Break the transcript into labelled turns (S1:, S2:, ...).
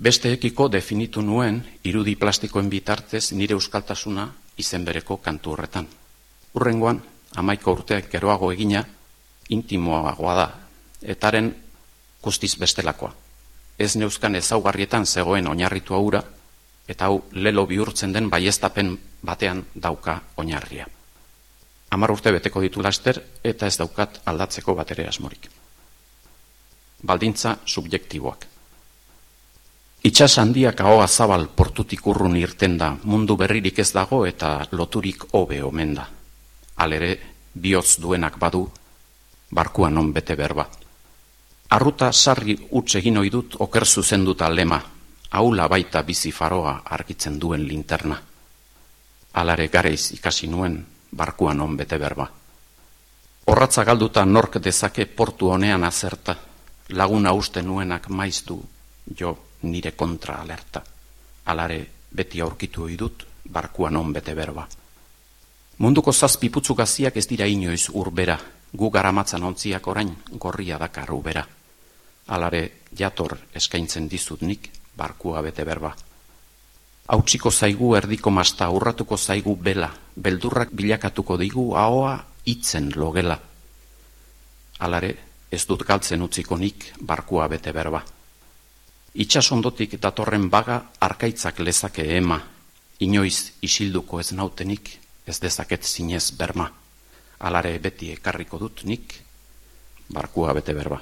S1: Besteekiko definitu nuen irudi plastikoen bitartez nire euskaltasuna izen bereko kantu horretan. Hurrengoan, 11 urteak geroago egina, intimoagoa da, etaren guztiz bestelakoa. Ez neuzkan ezaugarrietan zegoen oinarritua hura, eta hau lelo bihurtzen den baieztapen batean dauka oinarria. 10 urte beteko ditu laster, eta ez daukat aldatzeko batere asmorik. Baldintza subjektiboak. Itsas handiak ahoa zabal portutik urrun irten da, mundu berririk ez dago eta loturik hobe omen da. Halere, bihotz duenak badu, barkua non bete berba. Arruta sarri huts egin ohi dut oker zuzenduta lema, haula baita bizi faroa argitzen duen linterna. Halare gareiz ikasi nuen, barkua non bete berba. Orratza galduta nork dezake portu honean azerta, laguna uste nuenak maiz du, jo nire kontra alerta. Halare beti aurkitu ohi dut, barkua non bete berba. Munduko 7 putzu gaziak ez dira inoiz urbera, gu garamatzan ontziak orain gorria dakar ubera. Halare jator eskaintzen dizut nik, barkua bete berba. Hautsiko zaigu erdiko masta, urratuko zaigu bela, beldurrak bilakatuko digu ahoa hitzen logela. Halare ez dut galtzen utziko nik, barkua bete berba. Itsasondotik datorren baga arkaitzak lezake ema, inoiz isilduko ez nautenik, ez dezaket zinez berma. Halare beti ekarriko dut nik, barkua bete berba.